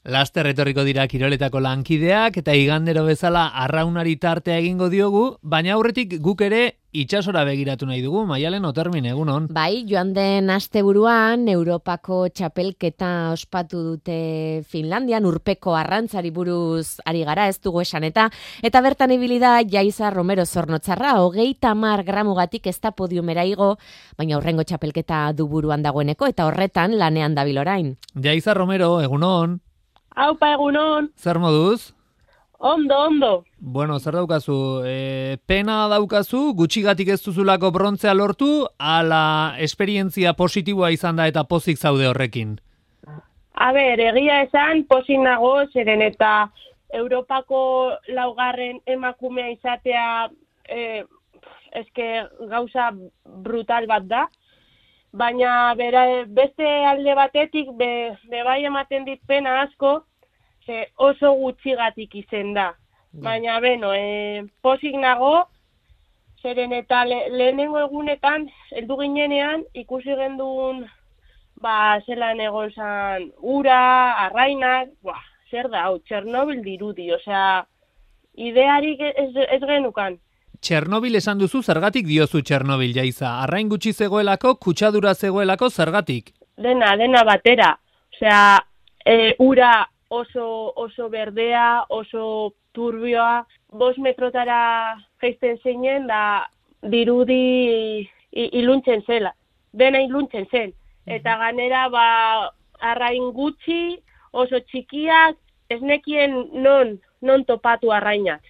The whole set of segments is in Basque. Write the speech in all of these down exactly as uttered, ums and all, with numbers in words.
Laster etorriko dira kiroletako lankideak eta igandero bezala arraunari tartea egingo diogu, baina aurretik guk ere itsasora begiratu nahi dugu. Maialen Otermin, egunon. Bai, joan den asteburuan Europako txapelketa ospatu dute Finlandian, urpeko arrantzari buruz ari gara, ez dugu esan eta eta bertan ibili da Jaiza Romero Zornotzarra, hogeita hamar gramugatik ez da podiumera igo, baina aurrengo txapelketa du buruan dagoeneko eta horretan lanean dabil orain. Jaiza Romero, egunon. Aupa, egunon. Zer moduz? Ondo, ondo. Bueno, zer daukazu? E, pena daukazu, gutxigatik ez duzulako brontzea lortu, ala esperientzia positiboa izan da eta pozik zaude horrekin? A ber, egia esan, pozik nago, zeren eta Europako laugarren emakumea izatea e, eske gauza brutal bat da. Baina bera, beste alde batetik be, be bai ematen dit pena asko, ze oso gutxigatik izen da. Baina beno, e, pozik nago, zeren eta le, lehenengo egunetan, heldu ginenean, ikusi gendun, ba, zelan egon zan ura, arrainak, buah, zer da, hau, Txernobil dirudi, osea, idearik ez, ez genukan. Txernobil esan duzu, zergatik diozu Txernobil, Jaiza? Arrain gutxi zegoelako, kutsadura zegoelako, zergatik? Dena, dena batera. Osea, e, ura oso, oso berdea, oso turbioa, bost metrotara jaisten zeinen, da dirudi iluntzen zela. Dena iluntzen zen. Eta ganera, ba, arrain gutxi, oso txikiak, ez nekien non, non topatu arrainak.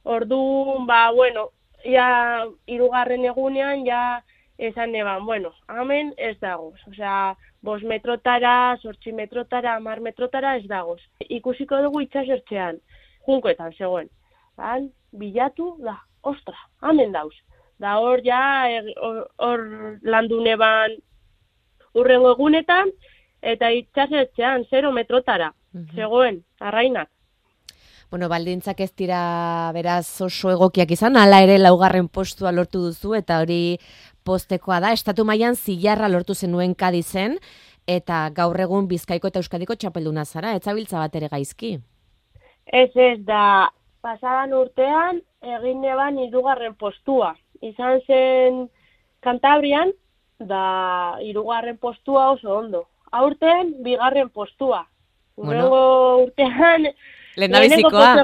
Orduan, ba, bueno, ja, hirugarren egunean, ja, esan eban, bueno, hemen ez dagoz. Osea, bost metrotara, zortzi metrotara, hamar metrotara ez dagoz. Ikusiko dugu itxasertzean, junkoetan zegoen. Ban, bilatu, da, ostra, hemen dauz. Da hor, ja, hor, hor landu neban urrengo egunetan, eta itxasertzean, zero metrotara, zegoen, arrainak. Bueno, baldintzak ez dira beraz oso egokiak izan, hala ere laugarren postua lortu duzu eta hori postekoa da. Estatu mailan zilarra lortu zenuen Kadizen eta gaur egun Bizkaiko eta Euskadiko txapelduna zara, ez zabiltza bat ere gaizki. Ez ez da, pasadan urtean egin neban hirugarren postua. Izan zen Kantabrian, da hirugarren postua oso ondo. Aurten bigarren postua. Urrengo Bueno. urtean Lehendabizikoa.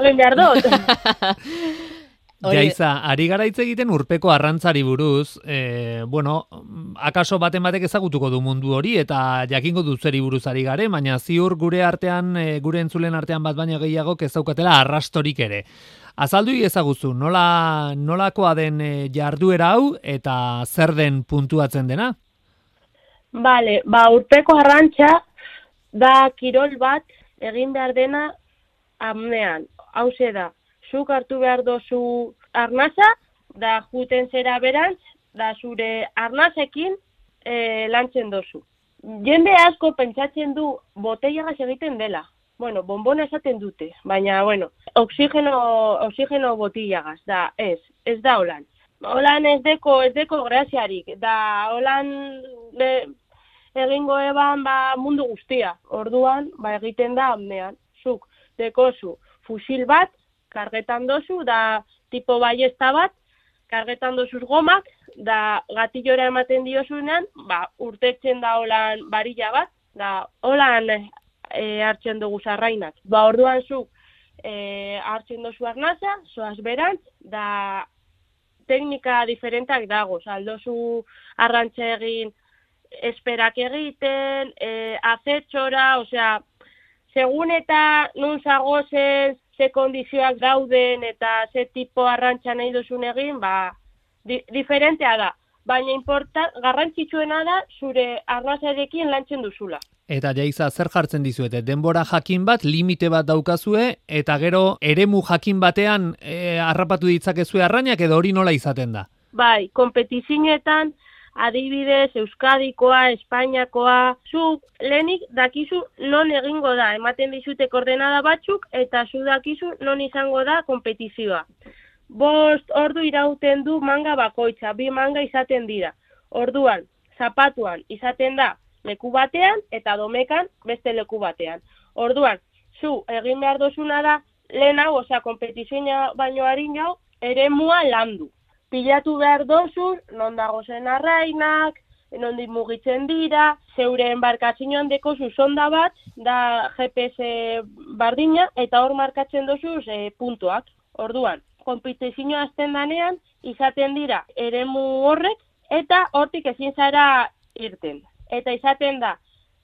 Jaiza, ari gara hitz egiten urpeko arrantzari buruz, e, bueno, akaso baten batek ezagutuko du mundu hori eta jakingo du zeri buruz ari gare, baina ziur gure artean, e, gure entzulen artean bat baino gehiago ez daukatela arrastorik ere. Azaldu ezaguzu, nola, nolakoa den e, jarduera hau eta zer den puntuatzen dena? Bale, ba, urpeko arrantza da kirol bat egin behar dena amnean. Hauze da, zuk hartu behar dozu arnaza, da juten zera berantz, da zure arnazekin e, lantzen dozu. Jende asko pentsatzen du botellagaz egiten dela. Bueno, bonbona esaten dute, baina, bueno, oxigeno, oxigeno botellagaz, da, ez, ez da holan. Holan ez deko, ez deko graziarik, da holan de, egingo eban ba, mundu guztia. Orduan, ba, egiten da amnean, zuk dekozu fusil bat, kargetan dozu, da tipo baiesta bat, kargetan dozuz gomak, da gatillora ematen diozunean, ba, urtetzen da holan barilla bat, da holan e, hartzen dugu zarrainak. Ba, orduan zuk e, hartzen dozu arnaza, zoaz berantz, da teknika diferentak dagoz, aldozu arrantza egin esperak egiten, e, azetxora, osea, segun eta nun zagozen, ze kondizioak dauden eta ze tipo arrantza nahi duzun egin, ba, di, diferentea da. Baina importa, garrantzitsuena da zure arnazarekin lantzen duzula. Eta Jaiza, zer jartzen dizuete? Denbora jakin bat, limite bat daukazue, eta gero eremu jakin batean e, harrapatu ditzakezue arrainak edo hori nola izaten da? Bai, kompetizinetan, adibidez, Euskadikoa, Espainiakoa, zuk lehenik dakizu non egingo da, ematen dizute koordenada batzuk, eta zu dakizu non izango da kompetizioa. Bost ordu irauten du manga bakoitza, bi manga izaten dira. Orduan, zapatuan izaten da leku batean eta domekan beste leku batean. Orduan, zu egin behar dozuna da, lehen hau, osea, kompetizioa baino harin jau, ere mua landu. Pilatu behar dozu, non dago zen arrainak, nondik mugitzen dira, zeure embarkazioan deko zuzonda bat, da G P S bardina, eta hor markatzen dozuz e, puntuak. Orduan, kompetizioa azten danean, izaten dira eremu horrek, eta hortik ezin zara irten. Eta izaten da,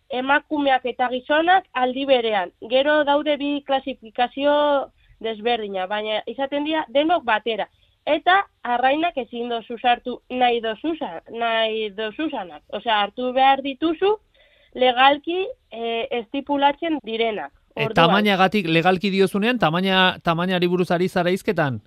emakumeak eta gizonak aldi berean. Gero daude bi klasifikazio desberdina, baina izaten dira denok batera. Eta arrainak ezin dozu sartu nahi dozuzanak. Nahi dozuzanak. Osea, hartu behar dituzu legalki e, estipulatzen direnak. E, tamainagatik legalki diozunean, tamaina, tamainari buruz ari zara izketan?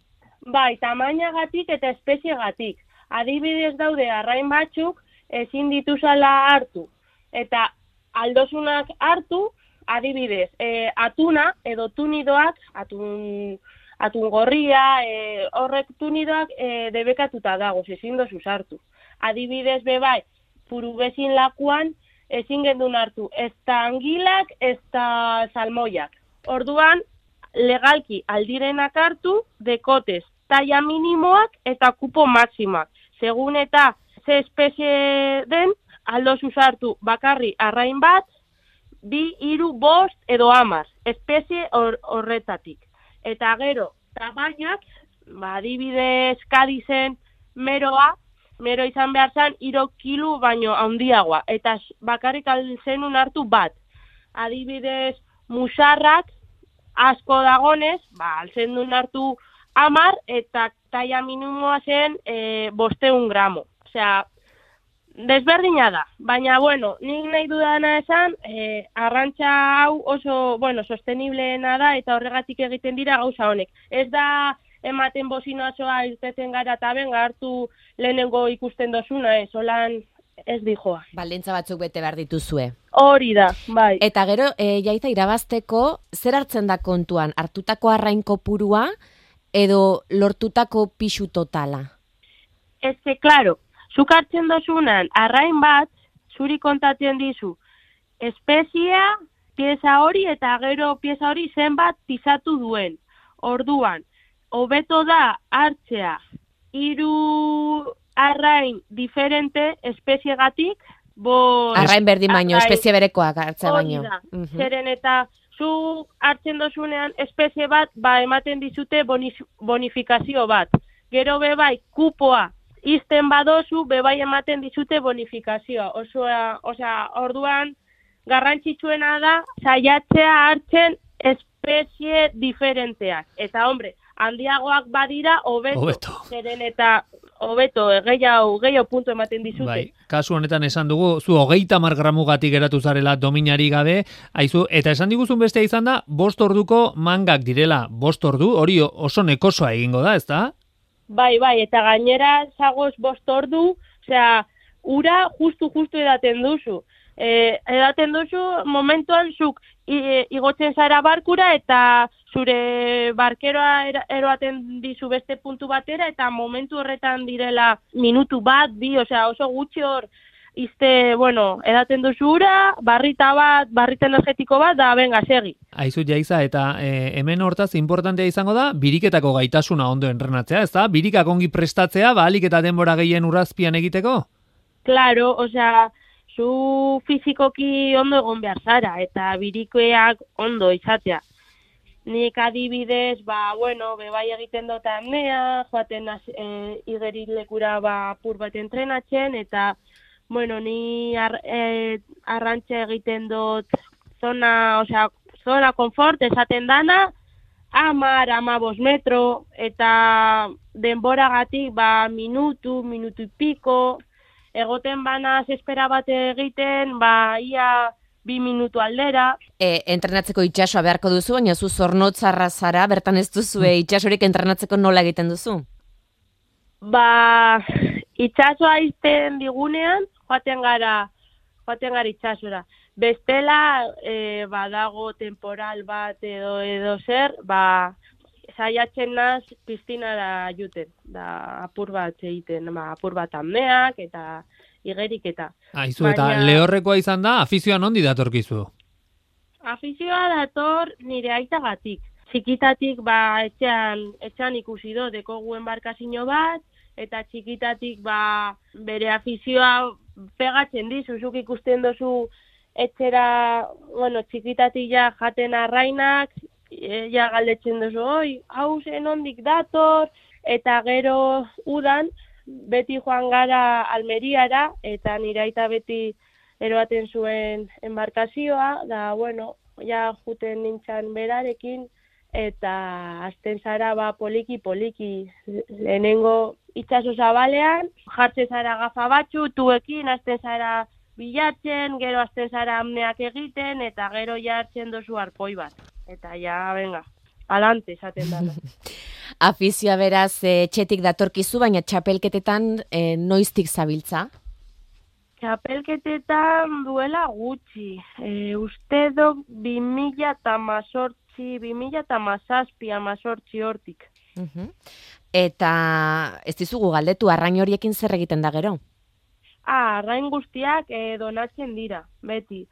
Bai, tamainagatik eta espeziegatik. Adibidez daude arrain batzuk ezin dituzala hartu. Eta aldozunak hartu, adibidez, e, atuna edo tunidoak, atun, atun gorria, e, horrek tunidoak e, debekatuta dago, ezin dozu hartu. Adibidez, bebai, purubezin lakuan ezin gendun hartu, ez da angilak, ez da salmoiak. Orduan, legalki aldirenak hartu, dekotez, taia minimoak eta kupo maksimoak. Segun eta ze espezie den, aldo zuzartu bakarri arrain bat, bi, hiru, bost edo hamar, espezie hor, horretatik. Eta gero, tamainak, ba, adibidez Kadizen meroa, mero izan behar zan, hiru kilo baino handiagoa, eta bakarrik alzenun hartu bat. Adibidez, musarrak, asko dagonez, ba, alzenun hartu hamar, eta taia minimoa zen e, bosteun gramo. Osea, desberdina da, baina, bueno, nik nahi dudana esan, e, arrantza hau oso, bueno, sosteniblena da, eta horregatik egiten dira gauza honek. Ez da ematen bozinoazoa irteten gara eta benga hartu lehenengo ikusten dozuna, ez, holan ez dijoa. Baldintza batzuk bete behar dituzue. Hori da, bai. Eta gero, e, Jaiza, irabazteko, zer hartzen da kontuan? Hartutako arrain kopurua edo lortutako pixu totala? Ez que, klaro, zuk hartzen dozunan arrain bat, zuri kontatzen dizu, espeziea, pieza hori eta gero pieza hori zenbat pisatu duen. Orduan, hobeto da hartzea hiru arrain diferente espeziegatik, bo... Arrain berdin baino, espezie berekoak hartzea baino. Hori da, uh-huh. Zeren eta zu hartzen dozunean espezie bat, ba ematen dizute bonifikazio bat. Gero bebai, kupoa, izten badozu, bebai ematen dizute bonifikazioa. Osoa, osea, orduan, garrantzitsuena da, saiatzea hartzen espezie diferenteak. Eta, hombre, handiagoak badira, hobeto. Zeren eta, hobeto, gehiago, gehiago puntu ematen dizute. Bai, kasu honetan esan dugu, zu hogeita hamar gramugatik geratu zarela dominari gabe, aizu, eta esan diguzun bestea izan da, bost orduko mangak direla, bost ordu, hori oso nekosoa egingo da, ezta? Bai, bai, eta gainera zagoz bost ordu, osea, ura justu-justu edaten duzu. E, edaten duzu momentuan zuk igotzen zara barkura eta zure barkeroa eroaten dizu beste puntu batera eta momentu horretan direla minutu bat, bi, osea, oso gutxi hor izte, bueno, edaten duzu ura, barrita bat, barrita energetiko bat, da, benga, segi. Aizu, Jaiza, eta e, hemen hortaz importantea izango da, biriketako gaitasuna ondo entrenatzea, ez da? Birikak ongi prestatzea, ba, alik eta denbora gehien urrazpian egiteko? Claro, osea, zu fizikoki ondo egon behar zara, eta birikoeak ondo izatea. Nik adibidez, ba, bueno, bebai egiten dut amnea, joaten e, igerilekura ba, apur bat entrenatzen, eta, bueno, ni ar, e, arrantza egiten dut zona, osea, zona konfort, esaten dana, amar, amabos metro, eta denboragatik, ba, minutu, minutu piko, egoten bana espera bat egiten, ba, ia bi minutu aldera. E, entrenatzeko itsasoa beharko duzu, baina zu zornotzarra zara, bertan ez duzu e, itsasorik entrenatzeko nola egiten duzu? Ba, itsasoa izten digunean, joaten gara, joaten gara itsasora. Bestela, e, badago temporal bat edo edo zer, ba, saiatzen naz piztinara juten, da apur bat egiten, ba, apur bat amneak eta igerik eta. Aizu, eta baina... lehorrekoa izan da, afizioan ondi datorkizu? Afizioa dator nire aitagatik. Txikitatik ba etxean, etxean ikusi do, dekogu enbarkazio bat, eta txikitatik ba bere afizioa pegatzen dizu, zuk ikusten dozu etxera, bueno, txikitatik ja jaten arrainak, e, ja galdetzen dozu, oi, hau zen ondik dator, eta gero udan, beti joan gara Almeriara, eta nire aita beti eroaten zuen enbarkazioa, da, bueno, ja juten nintzen berarekin, eta azten zara ba poliki-poliki, lehenengo itxaso zabalean, jartzen zara gafa batzu, tuekin, azten zara bilatzen, gero azten zara amneak egiten, eta gero ja hartzen dozu arpoi bat. Eta ja, venga, alante esaten dara. Afizioa beraz, e, txetik datorkizu, baina txapelketetan e, noiztik zabiltza? Txapelketetan duela gutxi. E, uste dok bi mila eta mazortzi, bi mila eta mazazpi, amazortzi hortik. Uh-huh. Eta ez dizugu galdetu, arrain horiekin zer egiten da gero? Ah, arrain guztiak e, donatzen dira, beti.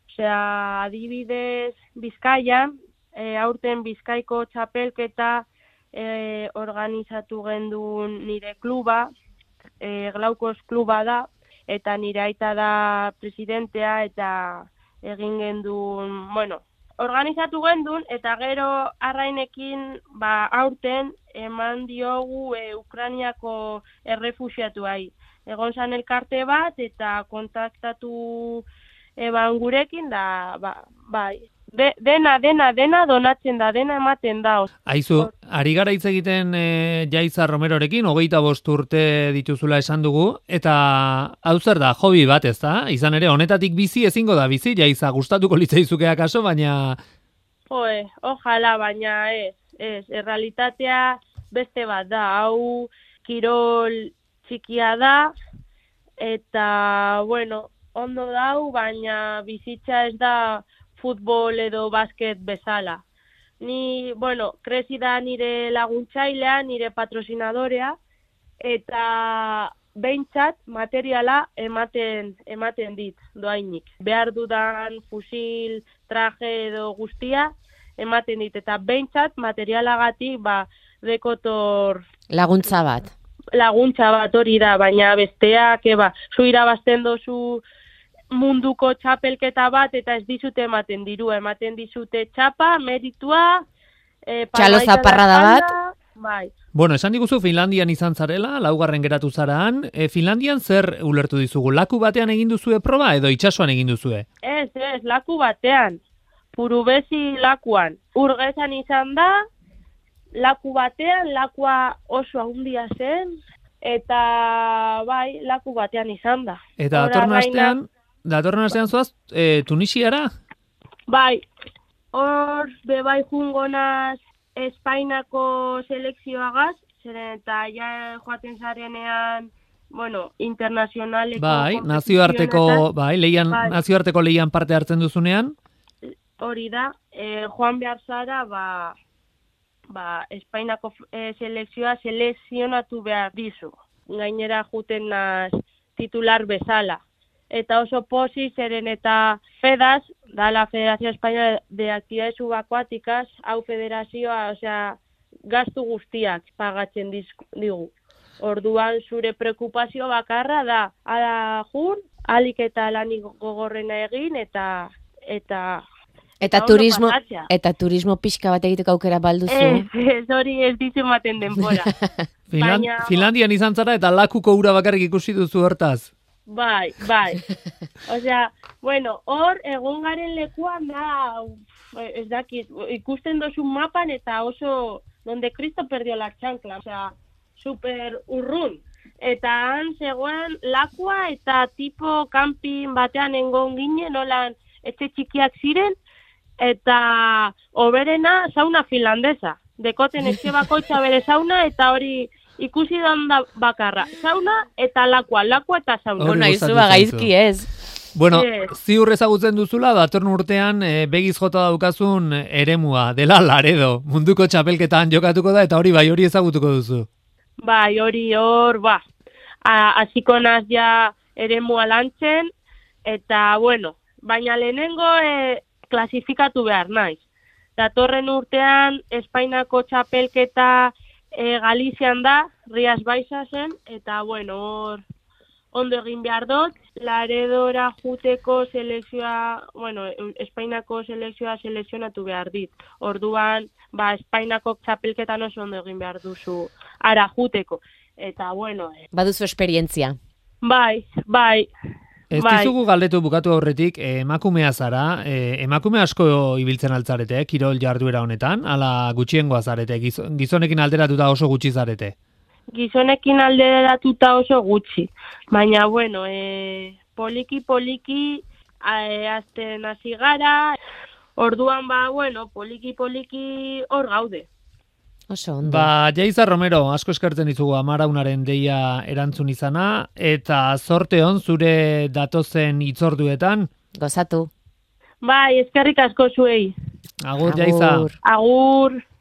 Osea, adibidez Bizkaian, e, aurten Bizkaiko txapelketa e, organizatu gendun nire kluba, e, Glaukos kluba da, eta nire aita da presidentea, eta egin gendun, bueno, organizatu gendun, eta gero arrainekin, ba, aurten eman diogu e, Ukrainiako errefuxiatuai. Egon zan elkarte bat, eta kontaktatu eban gurekin, da, ba, bai, De, dena, dena, dena donatzen da, dena ematen da. Aizu, ari gara hitz egiten e, Jaiza Romerorekin, hogeita bost urte dituzula esan dugu, eta hau zer da, hobi bat ez da? Izan ere, honetatik bizi ezingo da bizi, Jaiza, gustatuko litzaizuke akaso, baina... Joe, ojala, baina ez, ez, errealitatea beste bat da, hau kirol txikia da, eta, bueno, ondo dau, baina bizitza ez da futbol edo basket bezala. Ni, bueno, kresi da nire laguntzailea, nire patrocinadorea, eta behintzat materiala ematen ematen dit, doainik. Behar dudan fusil, traje edo guztia ematen dit, eta behintzat materialagatik ba, dekotor... Laguntza bat. Laguntza bat hori da, baina besteak, eba, zu irabazten dozu munduko txapelketa bat, eta ez dizute ematen diru, ematen dizute txapa, meritua, e, txalo zaparrada bat. Bai. Bueno, esan diguzu Finlandian izan zarela, laugarren geratu zaraan, e, Finlandian zer ulertu dizugu? Laku batean egin duzue proba edo itsasoan egin duzue? Ez, ez, laku batean, Purubezi lakuan. Urgezan izan da, laku batean, lakua oso handia zen, eta bai, laku batean izan da. Eta datorren astean, datorren astean zoaz, e, Tunisiara? Bai, hor bebai jungonaz Espainako selekzioagaz, zeren eta ja joaten zarenean, bueno, internazionaleko... Bai, nazioarteko, bai, leian, bai. Nazioarteko leian parte hartzen duzunean? Hori da, e, joan behar zara, ba, ba, Espainako e, selekzioa selekzionatu behar dizu. Gainera juten naz titular bezala. Eta oso posi zeren eta FEDAS, da la Federación Española de Actividades Subacuáticas, hau federazioa, osea, gastu guztiak pagatzen digu. Orduan zure preokupazio bakarra da, ala jun, alik eta lanik gogorrena egin, eta... eta Eta turismo, eta turismo pixka bat egiteko aukera balduzu. Ez, ez hori ez dizu ematen denbora. Finland, Baina... Finlandian izan zara eta lakuko ura bakarrik ikusi duzu hortaz. Bai, bai. Osea, bueno, hor egon garen lekuan da, ez dakit, ikusten dozu mapan eta oso, donde Cristo perdió la chancla, osea, super urrun. Eta han zegoen lakua eta tipo camping batean engon ginen, nolan etxe txikiak ziren, eta oberena sauna finlandesa. Dekoten etxe bakoitza bere sauna eta hori ikusi da bakarra. Sauna eta lakua, lakua eta sauna. Bona, izua gaizki ez. Bueno, yes. Ziur ezagutzen duzula, datorren urtean e, begiz jota daukazun eremua, dela Laredo, munduko txapelketan jokatuko da, eta hori bai hori ezagutuko duzu. Bai, hori hor, ba, hasiko naz ja eremua lantzen, eta bueno, baina lehenengo e, klasifikatu behar naiz. Datorren urtean, Espainiako txapelketa e, Galizian da, Rias Baixasen, eta bueno, hor ondo egin behar dut, Laredora juteko selekzioa, bueno, Espainiako selekzioa selekzionatu behar dit. Orduan, ba, Espainiako txapelketan oso ondo egin behar duzu ara juteko. Eta bueno... Eh, Baduzu esperientzia. Bai, bai. Ez bai. dizugu galdetu bukatu aurretik, eh, emakumea zara, eh, emakume asko ibiltzen altzarete, eh, kirol jarduera honetan, ala gutxiengoa zarete, giz- gizonekin alderatuta oso gutxi zarete. Gizonekin alderatuta oso gutxi. Baina, bueno, e, poliki-poliki e, azten hasi gara, orduan ba, bueno, poliki-poliki hor gaude. Oso ondo. Ba, Jaiza Romero, asko eskertzen dizugu amaraunaren deia erantzun izana, eta zorte on zure datozen itzorduetan. Gozatu. Bai, eskerrik asko zuei. Agur, Jaiza. Agur. Agur.